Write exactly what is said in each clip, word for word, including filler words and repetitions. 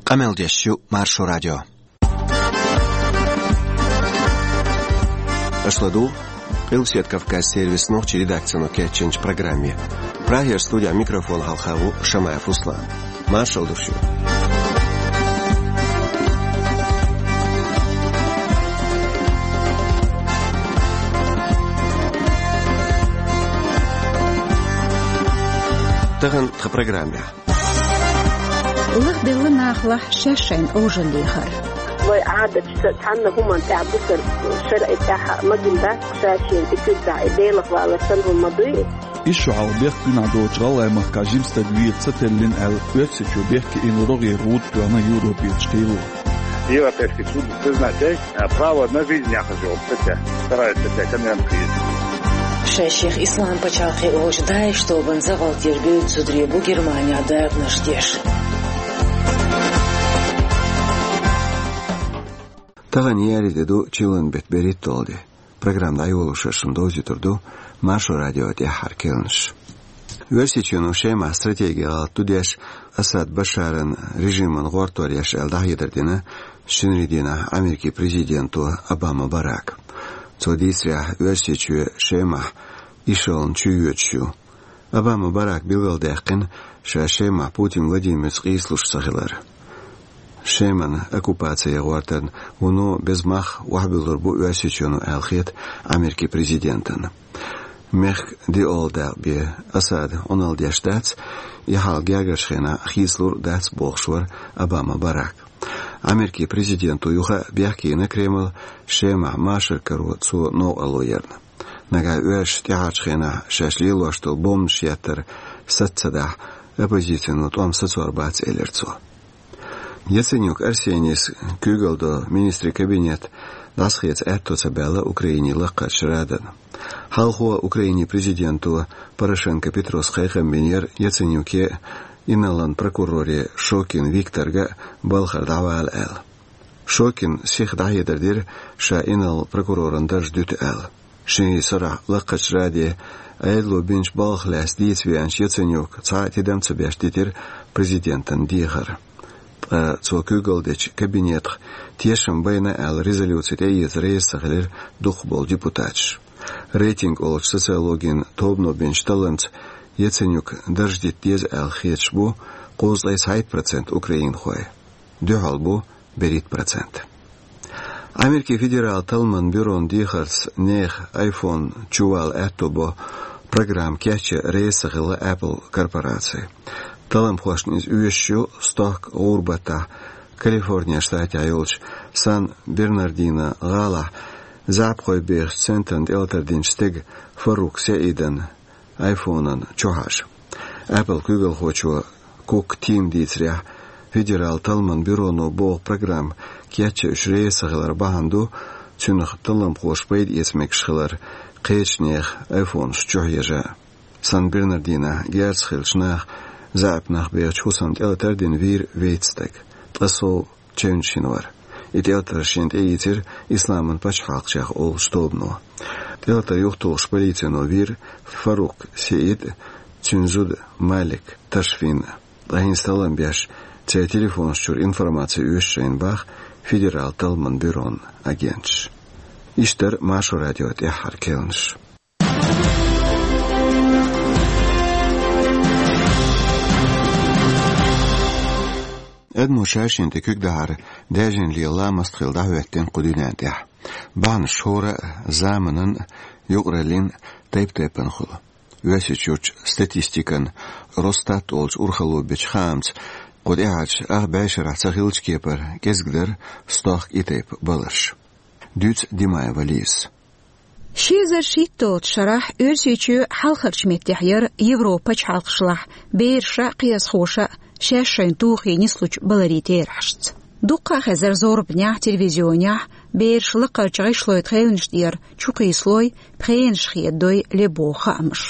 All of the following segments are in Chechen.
Къамел деш ю Маршо радио. Аша ладугӀу Къилбаседа Кавказан сервисан нохчийн редакцино кечйинчу программе. Прагера студехь микрофон хьалха ву Шамаев Руслан. Маршалла ду шуьга. Тахана тхан программехь. Лахделла нахалахь шаьш шайна Ӏожалла лехар. Вай Ӏадаташца цхьанна хӀуманна тӀехь бусар шарӀе тӀехь ма гина дац, ша-шена тӀе куьг дахь и Делах валар санна хӀума ма дуй. Ишшо хьалха бехк дуьнахь доцучу гӀалгӀайн махкахь жима стаг вийла ца теллина аьлла, Оьрсийчоь бехке йина рогӀера гӀуда тоьхна Европерчу кхело. Европейский суд признать яй, а, право на жизнь яхаш йолу статья, вторая статья конвенции. Шаьш-шех Исламан пачхьалкхе олучу ДАИШ тобанца гӀалатера бевдда зударий бу Германехь дакъанаш деш. Тахана еарин де ду, чиллан беттан берхӀитталгӀа де. Программа дӀайолош шун довзуьйтур ду Маршо радион тӀаьххьара керланаш. Оьрсийчоьно Шемахь стратегин гӀалат ду деш, Асад Башаран режимана гӀортор еш аьлла дӀахьедар дина шинарин дийнахь Америкин президенто Обама Барака. Цо дийцарехь, Оьрсийчоь Шемахь ишална чуйоьдуш ю. Обама Барака билгалдаьккхина ша Шемахь Путин Владимирца къийсалуш ца хилар. Шеман оккупаци гӀортарна вуно беза мах охьабуьллур бу Оьрсийчоьно аьлла хета Америкин президентана. Мехкан диъалгӀа дакъа бен Асада Ӏуналла деш дац, и хьал гергарчу хенахь хийцалур а дац, бохуш вара Обама Барак. Америкин президенто юха а бехке йина Кремль Шемахь машар каро цо новкъарло ярна. Нагахь оьрсаша тӀаьхьарчу хенахь шаьш лелош долу бомбанаш еттар саца ца дахь, оппозицино тӀом сацор бац, элира цо. Яценюк Арсенийс куьйгалла долу министрийн кабинет дӀасахеца аьтто ца баьлла Украинин Лакхарчу Радана. Хьалхо Украинин президенто Порошенко Петрос кхайкхам бинера Яценюке а, инарлан прокуроре Шокин Викторга а балхара дӀавала аьлла. Шокина сиха дӀахьедар дира, ша инарла прокуроран дарж дуьту аьлла. Шинарин сарахь Лакхарчу Раде Ӏедало бинчу балхах лаьцна дийца веанчу Яценюка цхьа а тидам ца беш дитира президентан дехар. Ткъа цо куьйгалла дечу кабинетах тешам байна аьлла резолюци тӀеэца реза ца хилира дукхахболу депутаташ. Рейтинг олучу социологин тобано бинчу талламца Яценюка дарж дита деза аьлла хеташ бу кхузткъе цхьайтта процент украинхой. Дуьхьал бу берхӀитта процент. Америкин федералан талламан бюрон дехарца нехан айфон чувала аьтто бо программа кечъян реза ца хилла Apple корпораци. Талламхошна иза оьшуш ю стохка ГӀурбатахь, Калифорния штатехь йолчу Сан-Бернардино гӀалахь заьӀапхой бехачу центрана тӀелатар динчу стеган Фарук СаӀидан айфонан чу хьажа. Apple куьйгалхочо Кук Тима дийцарехь, федералан талламан бюроно боху программа кечъян уьш реза ца хилар бахьана ду, цуьнах талламхоша пайда эца мегаш хилар кхечу нехан айфонаш чу хьежа. Сан-Бернардинохь герзаца хиллачу наха заьӀап нах бехачу хӀусамна тӀелатар дина вийра вейтта стаг. Ткъа сов чевнаш йина вара. И тӀелатар шена тӀеийцира Исламан пачхьалкх олучу тобано. ТӀелатар юхатухуш полицино вийра Фарук СаӀид а, цуьнан зуда Малик Ташфин а. Ткъа хӀинца таллам беш, церан телефонаш чуьра информаци оьшу шайна боху федералан талламан бюрон агенташа. Иштта дара Маршо радион тӀаьххьара керланаш. Адамо ша-шена тӀе куьг дахьар даьржина лела ламаст хилла дӀахӀоьттина кху дуьнен тӀехь. Бахьанаш хӀора а, заманан а, юкъараллин а тайп-тайпана хуьлу. Оьрсийчуьрчу статистикан Росстат олучу урхалло бечу хаамца, кху тӀаьхьарчу ах бӀешарахь ца хиллачу кепара кӀезиг дара стохка и тайпа баларш. Дуьйцу Димаева Лизас. Ши эзар шийтталгӀачу шарахь Оьрсийчоь хьалхарчу меттехь яра Европан пачхьалкхашлахь бераша а, кхиазхоша а шаьш шайна тухий нислучу баларийн терахьашца. Дуккха а хезара зорбанехь, телевизионехь, бераш лакхарчу гӀишлойн тхевнаш тӀера чукхийсалой, пхенаш хедадой ле боху хаамаш.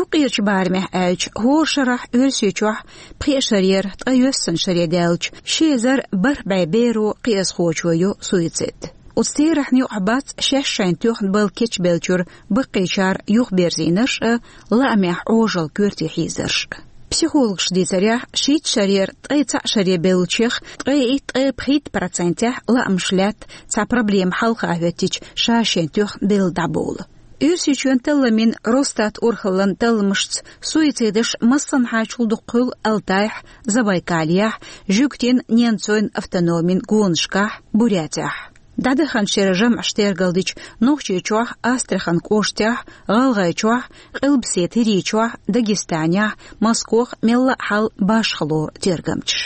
Юккъерчу барамехь аьлча, хӀора шарахь Оьрсийчохь пхеа шарера, ткъе йоьссана шаре даьллачу ши эзар бархӀ бӀе беро, кхиазхочо йо суицид. Оцу терахьна юкъахь бац шаьш шайна тоьхна бала кечбеллачуьра баккхийчара юхаберзийнарш а, лаамехь Ӏожалла коьрте хьийзарш а. Психологаша дийцарехь, шийтта шарера ткъе цхьаъ шаре бевллачех ткъе итт, ткъе пхийтта процентехь лаамаш лаьтта цхьа проблема хьалха хӀоьттича ша-шен тоьхна белла дӀабовла. Оьрсийчоьнан талламийн Росстат урхаллин талламашца суицидаш массанхьачул дукха хуьлу Алтайхь, Забайкалехь, Жуьгтийн Ненцойн автономийн гонашкахь, Бурятехь. ДӀадаханчу шеран жамӀаш тергалдича, Нохчийчохь, Астрахань кӀоштахь, ГӀалгӀайчохь, Къилбаседа ХӀирийчохь, Дагестанехь, Москох мелла а хьал башхалора тергамчаш.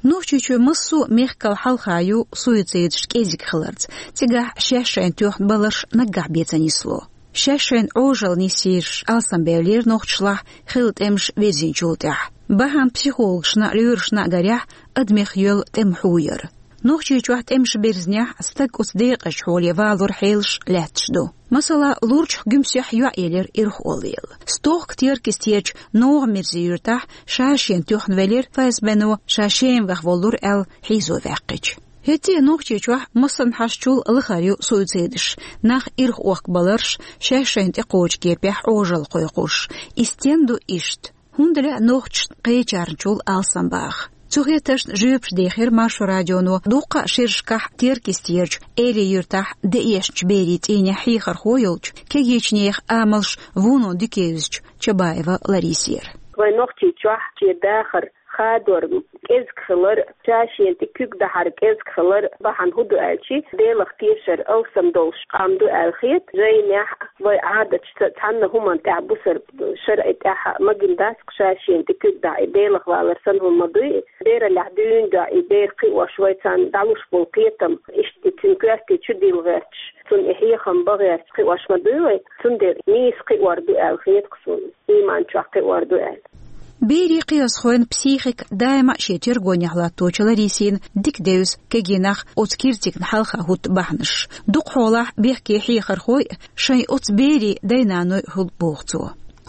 Нохчийчоь массо а мехкал хьалха ю суицидаш кӀезиг хиларца, цигахь шаьш-шайна тоьхна баларш наггахь бен ца нисло. Шаьш-шайна Ӏожалла нисйийраш алсамбевллера нохчашлахь хилла тӀемаш вирзинчул тӀаьхьа. Бахьана психологашна а, лоьрашна а гарехь, адамех йоьллу тӀеман хьу яра. Нохчийчохь тӀемаш бирзинехь, стаг оцу декъазчу хьоле валоран хьелаш лаьтташ ду. Масала, Лурчахь Гуьмсехь йоӀ елира ирхъоллаелла. Стохка Теркйистерчу НогӀан-Мирзин юьртахь ша-шена тоьхна велира, ФСБ-но ша Шемахь воллура аьлла хьийзо ваьккхича. ХӀетте а Нохчийчохь массанхьашчул лахара ю суицидаш, нах ирхъохкабаларш, шаьш-шайна тӀекхочу кепехь Ӏожалла кхойкхурш. И стенна ду иштта? ХӀунда лаьа нохчашна кхечарначул алсамбаха? Цу хеттаршна жоьпаш дийхира Маршо радионо дуккха а шерашкахь Теркйистерчу Эли-Юьртахь деэшначу берийн цӀийнехь хьехархо йолчу, кегийчу нехан амалш вуно дика евзачу Чабаева Ларисера. Вайн Нохчийчохь шен дахар хадор кӀезиг хилар, ша-шена тӀе куьг дахьар кӀезиг хилар бахьана хӀун ду аьлчи, Делах тешар алсам долуш къам ду аьлла хета, жайнехь а, вай Ӏадаташца а цхьанна хӀуманна тӀехь бусар шарӀе тӀехь а магийна дац-кх ша-шена тӀе куьг дахьа, и Делах валар санна хӀума ма дуй и. Бераллехь дуьйна дуьхьа и бер кхиош, вай царна дӀалуш болу кхетам, иштта цуьнан коьрте чу дилла гӀерташ, цунна и хьехам бан гӀерташ кхиош ма дуй вай, цундела нийса кхиор ду аьлла хета-кх суна, ийман чохь кхиор ду аьлла. Берийн кхиазхойн психика даима а шен тергонехь латточу Ларисина дика девза кегий нах оцу киртигна хьалха хӀутту бахьанаш. Дукха хьолахь бехке хьехархой а шайн оцу берийн дай-наной хуьлу боху цо.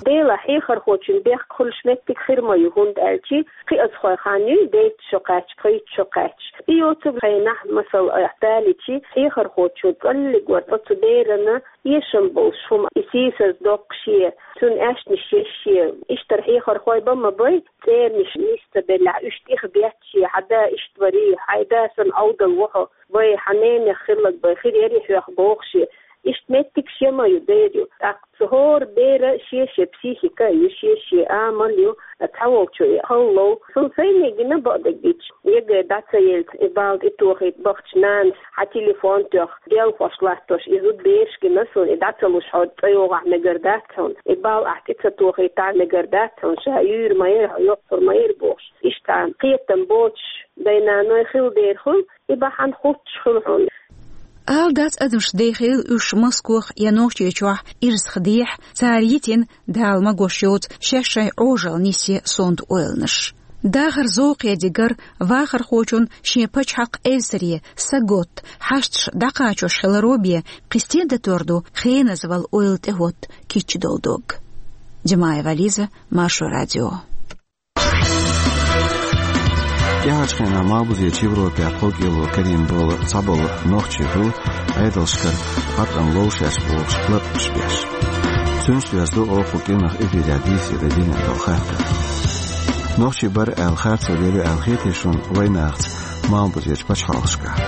Делахь, хьехархочун бехк хуьлуш меттиг хир ма ю, хӀунда аьлчи кхиазхой хан юй дейтта шо кхаьчча, пхийтта шо кхаьчча. И йоцург хенахь, масала, айхьа далийчи, хьехархочо цкъа а вара оцу берана эшам болуш хӀума, и сийсаз доккхуш е, цуьнан аьшнаш еш е, иштта хьехархой бан ма бай, цӀернаш нис ца беллехь, уьш тӀехбетташ е, хьан да иштта варий, хьайн да санна Ӏовдал ву хьо, вай хьан ненех хилларг бай, хир ярий хьоьх бохуш е. Иштта меттигаш я ма ю, дер ю. ТӀаккха цу хӀора бера шен-шен психика а ю, шен-шен амал а ю, цхьаволчо и хала лов. Суна сайне гина бакъдерг дича, ЕГЭ дӀа ца елча, и балл тӀетохийта бахча нанас хьан телефон тоьхна, делхош латтош и зуда бераш гина суна, и дӀа ца луш хьо цӀа йогӀахь мегар дац хьуна, и балл ахь тӀе ца тохийтахь мегар дац хьуна, ша юьйр ма яра, хьо йоккхур ма яра бохуш. Иштта кхетам боцуш дай-наной хила дера хуьлу, и бахьана хуттуш хуьлу хьуна. Ала дац адамаш дехийла уьш Москох я Нохчийчохь ирсахдехьа, цара йитина, Дала магош йоцу, шаьш-шайн Ӏожалла нисъе сонта ойланаш. Дахар зовкхе дигар, вахархочун шен пачхьалкх эвсаре, саготта, хьашташ дӀакхачош хиларо бен, кхин стен датор ду хеназа вала ойла тӀехӀотта кийча долу дог. Димаева Лиза, Маршо радио. ТӀаьхьарчу хенахь Малхбузерчу Европехь кхо кӀело карийна болу цхьаболу нохчий хуьлу Ӏедалшкара хьаткъам ловшеш бохуш латкъамаш беш. Цуьнца доьзна ду оха кху кӀиранах эфирехь дийцаре динан долу хаттар. Нохчий бара аьлла харцо лелийна аьлла хетий шуна вайнахаца Малхбузерчу пачхьалкхашкахь?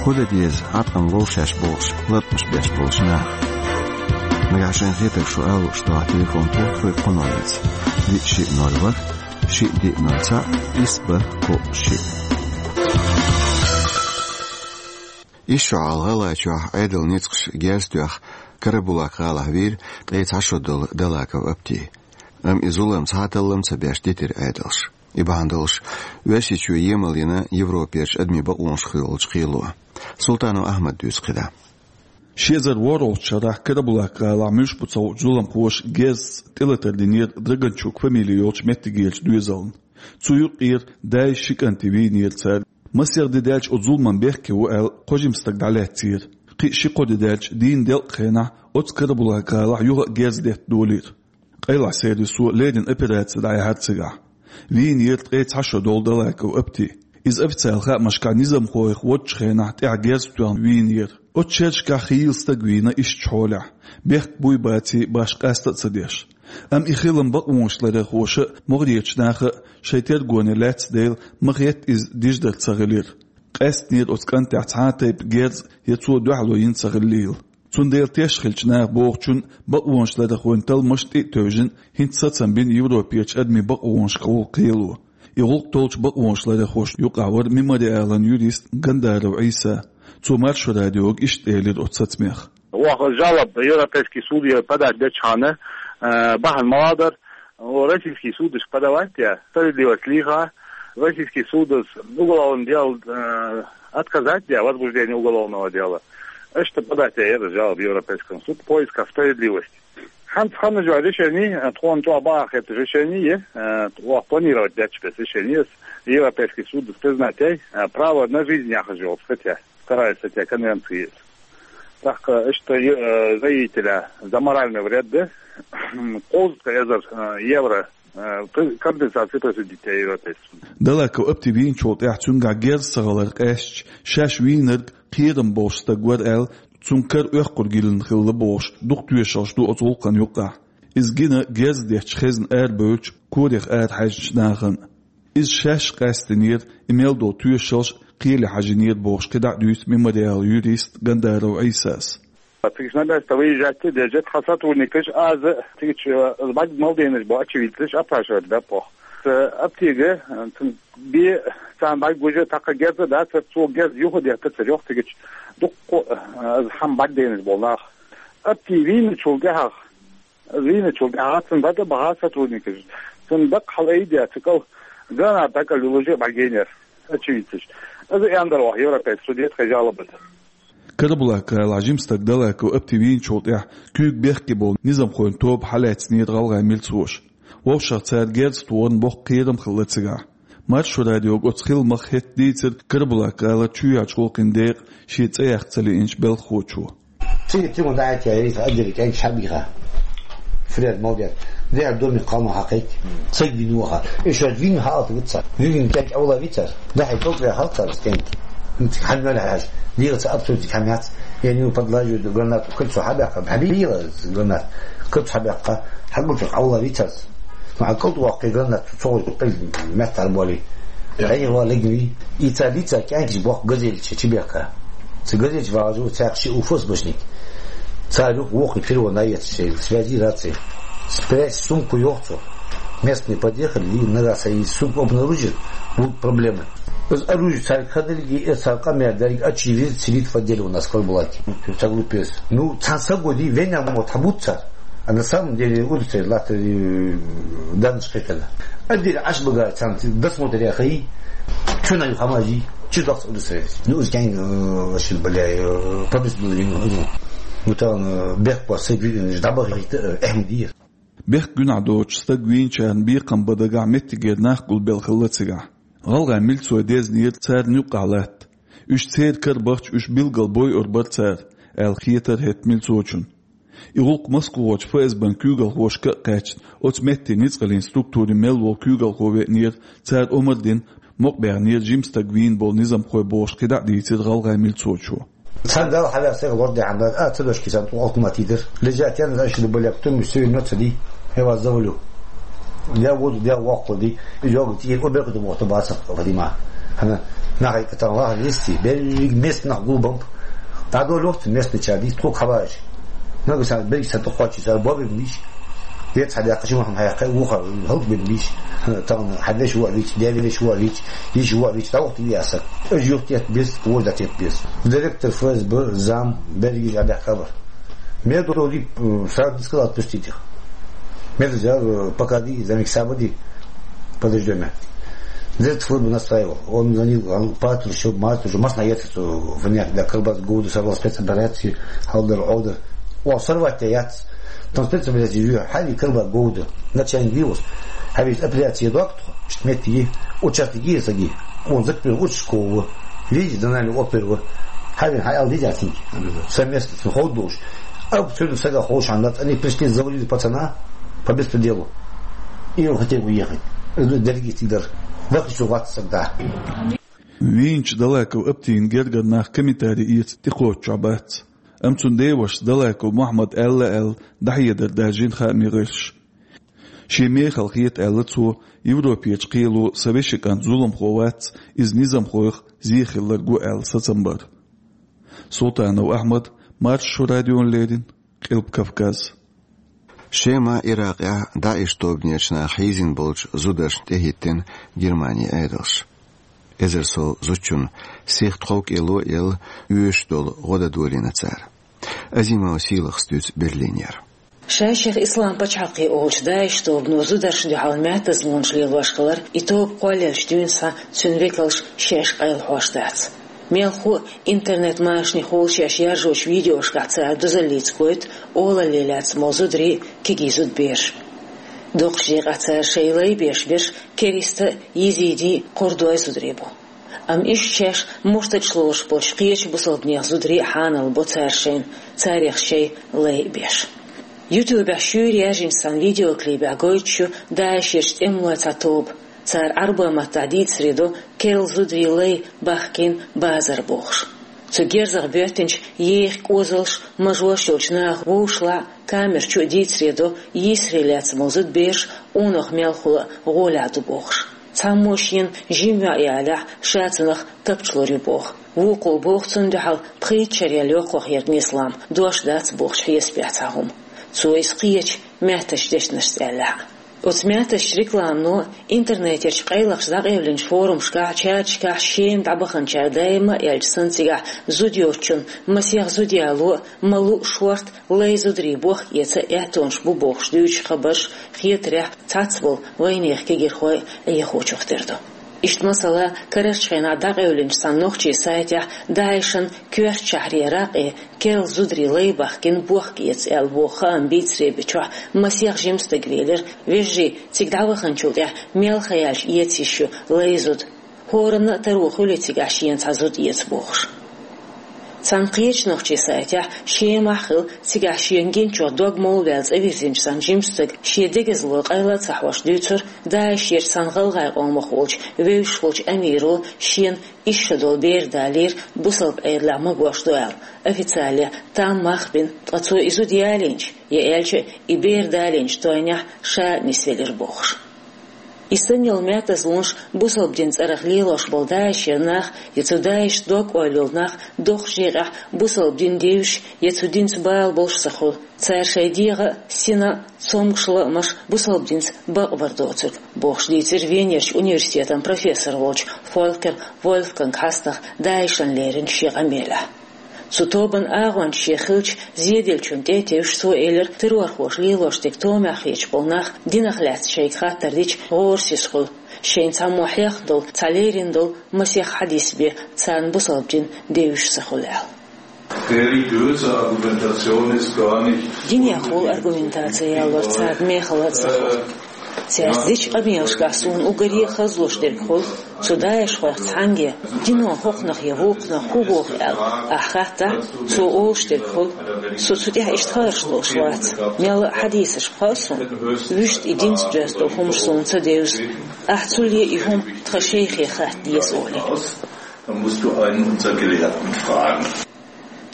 ХӀун дан деза хьаткъам ловшеш бохуш латкъамаш беш болчу наха? Нагахь шайн хетарг шу ала лууш дохьа телефон тухтур кху номерца: диъ шиъ ноль ворхӀ, шиъ диъ ноль цхьаъ, исс бархӀ кхоъ шиъ. Исс шо хьалха ГӀалгӀайчохь Ӏедалан ницкъаша герз тоьхна Карабулак-гӀалахь вийра ткъе цхьа шо долу Далаков Апти. Амма и зулам цхьа а таллам ца беш дитира Ӏедалша. И бахьана долуш Оьрсийчоь емал йина Европерчу адамийн бакъонашка йолчу кхело. Султанов Ахьмада дуьйцу кхидӀа. Ши эзар ворхӀалгӀачу шарахь Карабулак-гӀалахь муьлш бу ца хуучу зуламхоша герзца тӀелатар динера Драганчук фамили йолчу меттигерчу доьзална. Цу юкъера дай, ши кӀанти вийнера цара. Масех де даьлча оцу зуламан бехке ву аьлла, кхо жима стаг дӀалаьцнера. Кхин а ши-кхо де даьлча, дийнан делкъа хенахь оцу Карабулак-гӀалахь юха а герз детта долийра. Къайлахь сервисо леррина операци дӀаяьхьира цигахь. Вийнера ткъе цхьа шо долу Далаков Апти. Иза официал хаамашкахь низамхой водучу хенахь тӀаьхьа герз тоьхна вийнера. Оцу шерашкахь хийла стаг вийна ишттачу хьолехь, бехк буй-баций башха къаста а ца деш. Амма и хилам бакъонаш ларъярхоша а, могӀарерчу наха а шайн тергоне лаьцна дела, ма-хетта иза диждар ца хилира. Къаьстинера оцу кӀантехь цхьа а тайпа герз я цо дуьхьало йина ца хиллийла. Цундела теш хиллачу наха бохучунна, бакъонаш ларъярхойн талламаш тӀе а тевжина, хӀинца сацам бина Европерчу адамийн бакъонашкахула кхело. И гӀуллакх толлучу бакъонаш ларъярхошна юкъахь вара Мемориалан юрист Гандаров Ӏийса. Цо Маршо радиога иштта элира оцу сацамех. Оха жалоба Европейский суде подать дечхьана, э, бахьана ма-дара, о, российский судашка подавать де, справедливость лийха, российский судас уголовное дело, э, отказать де, возбуждение уголовного дела. Иштта подать де яра жалоба Европейскому суду в поисках справедливости. ХӀинца ханна жо решение, э, тхуна чӀогӀа бахьа хетта решение, э, оха планировать дечу бес решение, Европейский судас признать яй, э, право на жизнь яхаш йолу статья. Вторая статья конвенции. ТӀаккха иштта, э, заявителя за моральный вред, да, кхузткъа эзар, э, евро, э, при-, компенсация присудить яй Европейский суд. Далаков Апти вийначул тӀаьхьа цуьнгахь герз ца хилар къаьстича, шаьш вийнарг кхерам болуш стаг вара аьлла, цуьнан кара оьккхур гилина хилла бохуш, дукха тоьшаллаш ду оцу гӀуллакхана юккъехь. Иза гина герз детташ хезна арабевллачу, корах арахьаьжначу нахана. Иза шаьш къаьстинера, и мел долу тоьшаллаш кхеле хьажийнера бохуш, кхидӀа а дуьйцу Мемориалан юрист Гандаров Ӏийсас. Цига на место выезжать деза тхан сотрудникаш, аза цига, э, бӀаьрг мел дийнарш бу очевидцаш опрашивать баьппох. Э, Аптига, э, цун бе царна бӀаьрг гужа, тӀаккха герз а дац, цо герз юха деттацара йоху цига дуккха, э, аза хьан бӀаьрг дийнарш болу нах. Апти вийначул тӀаьхьа Вийначул тӀаьхьа цунна дӀатӀа баха сотрудникаш. Цунна даккха хьалаайдеш, цу кӀал граната дӀакӀалвелла уже бӀаргайнера, очевидцаш. Иза яндар ваха Европейский суде тхайн жалоба. Карабулак-гӀалахь жима стаг Далаков Апти вийначул тӀаьхьа куьйга бехке болу низамхойн тоба хьалаьцнера гӀалгӀайн милцоша. Вовшах цара герз тохарна боккха кхерам хилла цигахь. Маршо радиога оцу хиламах хӀетта дийцира Карабулак-гӀалара чоьхьарчу гӀуллакхийн декъан шен цӀе яккха ца лиъначу белхахочо. Цига тима дӀахӀиттаяьлла, отделе кӀентий хьабийха. Фред, молодец. Дехьа домик кхалма хьакхайкхи. Цига вина ваха. И шоьш вина хьаалта вица. Вина кӀентий Ӏула вицар. Дахьи тӀокӀа хьалцар кӀентий. Цига хьан мел хьаьжа. Дийла ца абсурдик хьан яц. Я нил подлаживаю гранату. Куьцу хьабаьккха. Хьабийла гранат. Куьцу хьабаьккха. Хьагучу Ӏула вицар. Ма кӀалд ваккхий гранат. Цо гӀур къил меттахь боли. Ӏехва легни. И ца лица кӀентий боху газель чу, чу бехка. Цу газель чу вагӀажу цхьаькха ши уфос башник. Цара юха воху первого наезд шел, связи, рации. Спрячь сумку, йоху цо. Местные подъехали, и на раз и сумку обнаружили, будут проблемы. Из оружие цара кадалги, и цара къамел дерг, очевидно, целит в отделе у нас в Карабулаке. Ца глупец. Ну, цан сагоди, веня мо тхьабуц цара. А на самом деле, удуцай латта, э, данныш кхетана. Отделе Ӏаш багара царна досмотр яхай, чу на хамажи, чу дохс удуцай. Ну, уж кайн, э, вообще, бля, э, по беспределу, ну, ну, там, э, бехк по сей, э, ждабах, э, эхмдир. Бехк гуьнахь доцуш стаг вийначарна бекхам бан дагахь меттигера нах гулбелла хилла цигахь. ГӀалгӀайн милцой дезнера царна юккъахь латта. Уьш церан кара бахча, уьш билггал бойур бара цара, аьлла хетара хӀетта милцочунна. И гӀуллакх Москвахочу ФСБ-н куьйгалхошка а кхаьчна, оцу метте ницкъаллин структурийн мел волу куьйгалхо веанера, цара омра дина, мукъабаьхнера жима стаг вийна болу низамхой бохуш кхидӀа а дийцира гӀалгӀайн милцочо. Цхьана Далла хьавеа сайга лор дехьа дан, а, ца дошки сан тӀу алкумат йидира. Лежат ян, значит, были, а потом всё равно ца ди, я вас завалю. Я воду, я воккху ди, и йога тӀера оберкуьту боху бацах Вадима. Хьана, нахай катан лаха листи, берриг местнах гулбамп. ДӀадолу вахта местный чар дийца тхо кхабараш. Нагахь сан берриг сан тӀе кхоччуш, цара бобиг лиш. Вец хьадаккха, ши махам хьаяккха, вуха, хӀалт бин лиш. Тан хьадеш вуа вич, девеш вуа вич, йиш вуа вич, тавахт ви асак. Уж юхтет бес, вождатет бес. Директор ФСБ, зам, берригаш а бехк хабар. Медуди, э, сразу не сказал: «Отпустите их». Медуди, э, «Пока ди, замик сабади». Подождём. Дед службу настраивал. Он звонил, он патрушил, матрушил, масна яц, что в них для колбас года сорвал спецоперации, халдер, олдер. О, сорвать-то яц. Там спецоперация, ю, хали колбас года. Начальник вирус. Хали операция доктор, что метки, участки саги. Он закрыл участкового. Видите, донали оперу. Хали, хай ал видите, оценки. Совместно с Ходуш. А абсолютно сага хош, они пришли, завалили пацана по беспределу. И он хотел уехать. Дорогие тигр. Вахи, что вас тогда. Вийначу Далаков Аптин гергара нах комментари эца тӀекхоччуш бац. Амма цуьнан деваша Далаков Мухьаммада аьлла аьлла дӀахьедар даржийна хаамийн гӀирсаша. Шен мехала хета аьлла цо, Европерчу кхело сан вешин кӀант зуламхо вац, иза низамхойх зен хиларг ву аьлла сацам бар. Султанов Ахьмад, Маршо радиона леррина, Къилба Кавказ. Шема, Иракъехь ДАИШ тобанерчу наха хьийзина болчу зударшна тӀехӀиттина Германин Ӏедалша. Эзар сов зудчунна сиха тхов-кӀело а елла, оьшуш долу гӀо дан долийна цара. Азимова Сийлахьас дуьйцу Берлинера. Шайх Ислам пачхьалкхе олучу ДАИШ тобано зударшна дуьхьал маьттазлонаш лелош хилар, и тоба кхоллаелча дуьйна схьа цуьнан векалша шаьш къайлахьош дац. Мелхо а интернет-машанехула шаьш яржочу видеошкахь цара дузаллица гойту олалле лаьцна болу зударий, кегий зудбераш. Доккхачу декъехь цара шайн лай беш берш кериста а, езиди а, кхурдой а зударий бу. Амма иштта шаьш мурталлаш лоруш болчу кхечу бусалба нехан зударий а хьанал бо цара шайна, царех шайн лай а беш. Ютубехь шуьйра яьржинчу цхьана видеоклипехь гойтуш ю ДАИШерчу тӀемалойн цхьа тоба. Цара Ӏарбойн маттахь дийцаре до керла зударийн лай бахкийна базар бохуш. Цу герзах боьттинчу еха кӀозалш, мажош йолчу наха вовшашлахь а, камера чу а дийцаре до йийсаре лаьцна болу зудбераш къонах мелхо а гӀолехь ду бохуш. Цхьаммо шена жима йоӀ ялахь, ша цунах тапча лур ю боху. Вукхо боху цунна дуьхьал пхийтта шарел йоккхах ерг нислам, дош дац бохучу хьесапехь цхьа хӀума. Цо иза кхечу маьттачу дешнашца аьллехь а. Оцу маьттачу рекламано, интернетерчу къайлахчу дӀакъевлинчу форумашкахь, чаташкахь Шема дӀабаханчара даима а аьлча санна цигахь зуда йоцучунна масех зуда яло а, ма луъу шорта лай зударий бохка эца аьттонаш бу бохуш дуьйцучу хабарш, хетарехь, цхьацболу вайнехан кегийрхой Ӏехочух тера ду. Иштта масала, карарчу хенахь дӀакъевлинчу цхьана нохчийн сайтехь ДАИШан коьртачу шахьре ракъе керла зударийн лай бахкийна бохка эца аьлла боху хаам бийцаре бечохь масех жима стаг велира, вежарий, цига дӀаваханчул тӀаьхьа мел хан яьлча эца йиш ю лай зуда. ХӀоранна а таро хуьлий цигахь шена цхьа зуда эца бохуш. Цхьана кхечу нохчийн сайтехь Шемахь хилла, цигахь шена гиначух дог молаваьлла цӀа вирзинчу цхьана жима стага шен дегазло къайла а ца хьош дуьйцура, ДАИШерчу цхьана гӀалгӀайн къомах волчу вевзаш волчу амиро шена исс шо долу бер далийра, бусалба Ӏедалехь магош ду аьлла, официале там мах а бина, ткъа цо и зуда ялийначу, я аьлча, и бер далийначу тойнехь ша а нисвелира бохуш. И санна йолу маьттазлонаш бусалба динан цӀарах лелош болу ДАИШера нах, я цу ДАИШца дог-ойла йолу нах доккхачу декъехь бусалба дин девзаш я цу динца бала болуш ца хуьлу. Цара шайн дегӀан а, синан а цомгуш лаамаш бусалба динца бакъбар доцург, бохуш дийцира Венерчу университетан профессор волчу Фолькер Вольфганга хьастагӀа ДАИШан леринчу шен къамелехь. Цу тобанан агӀончаш шен хиллачу зеделлачунна тӀе а тевжаш, цо элира, террорхоша лелош дерг томехь хеташ болу нах динах лаьцна шайга хаттар дича гӀорасиз хуьлу, шайна цхьаммо хьехна долу, цхьа лерина долу масех хьадис бен царна бусалба дин девзаш ца хуьлу аьлла. Religiöse Argumentation ist gar nicht Динехула аргументаци ялор царна мехала а ца хуьлу. Цаьрца дечу къамелашкахь суна уггаре а хазлуш дерг хуьлу, цу даишхойх цхьаьнге, дино хӀокхунах я вукхунах хӀун боху аьлла, ахь хаттахь, цо олуш дерг хуьлу, со цу тӀехь иштта хаарш луш вац, мелла а хьадисаш хаьа суна, вуьшта и динца доьзна долу хӀумаш суна ца девза, ахь цуле и хӀума тхан шайхе хатта деза олий. Dann musst du einen unserer Gelehrten fragen.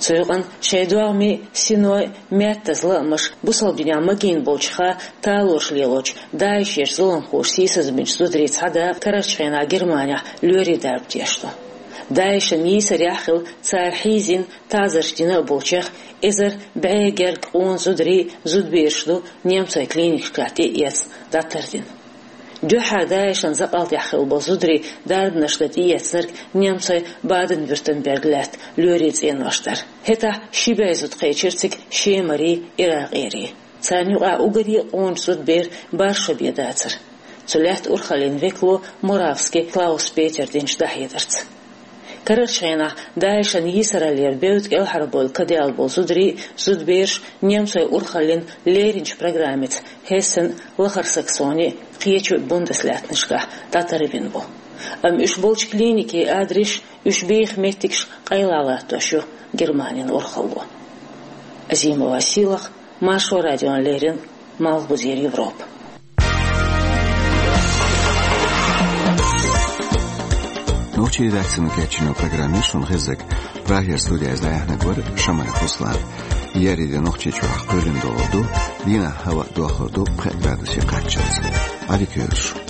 Цу юкъана шайн догӀмий, синой, маьттаза лаамаш бусалба динехь магийна болчу ха талораш лелочу ДАИШерчу зуламхоша сийсазбинчу зударийн цхьа дакъа карарчу хенахь Германехь лоьрийн дарба деш ду. ДАИШан йийсарехь а хилла, цара хьийзина, таӀзарш дина а болчех эзар бӀе гергга къона зударий, зудбераш ду немцойн клиникашкахь тӀеэцна, дӀатардина. Дуьххьара ДАИШан закъалтехь хилла болу зударий дарбанаш дан тӀеэцнарг немцойн Баден-Вюртемберг лаьтта лоьрийн цӀенош дара. ХӀетахь ши бӀе зуда кхечира цига Шемарий, Иракъерий. Царна юкъахь уггаре а къоначу зудберан бархӀ шо бен дацара. Цу лаьттан урхаллин векало Муравский Клаус-Петера динчу дӀахьедарца. Карарчу хенахь ДАИШан йийсараллера бевдда кӀелхьарбевлла кадаьлла болу зударий, зудбераш немцойн урхаллин леринчу программица Хессен, Лахара Саксони, кхечу Бундеслаьттанашкахь дӀатарбина бу. Амма уьш болчу клиникийн адресаш, уьш беха меттигаш къайлахь латтош ю Германин урхалло. Азимова Сийлахь, Маршо радиона леррина, Малхбузера Европа. Нохчийн редакцино кечйина программа шуна хезза я. Прагера студияза дӀаяьхьнарг вара Шамаев Руслан. Еарин де Нохчийчохь кхоьлина догӀа ду, дийнахь хӀаваъ дохлур ду пхи градусе кхаччалц. Ӏадика йойла шун.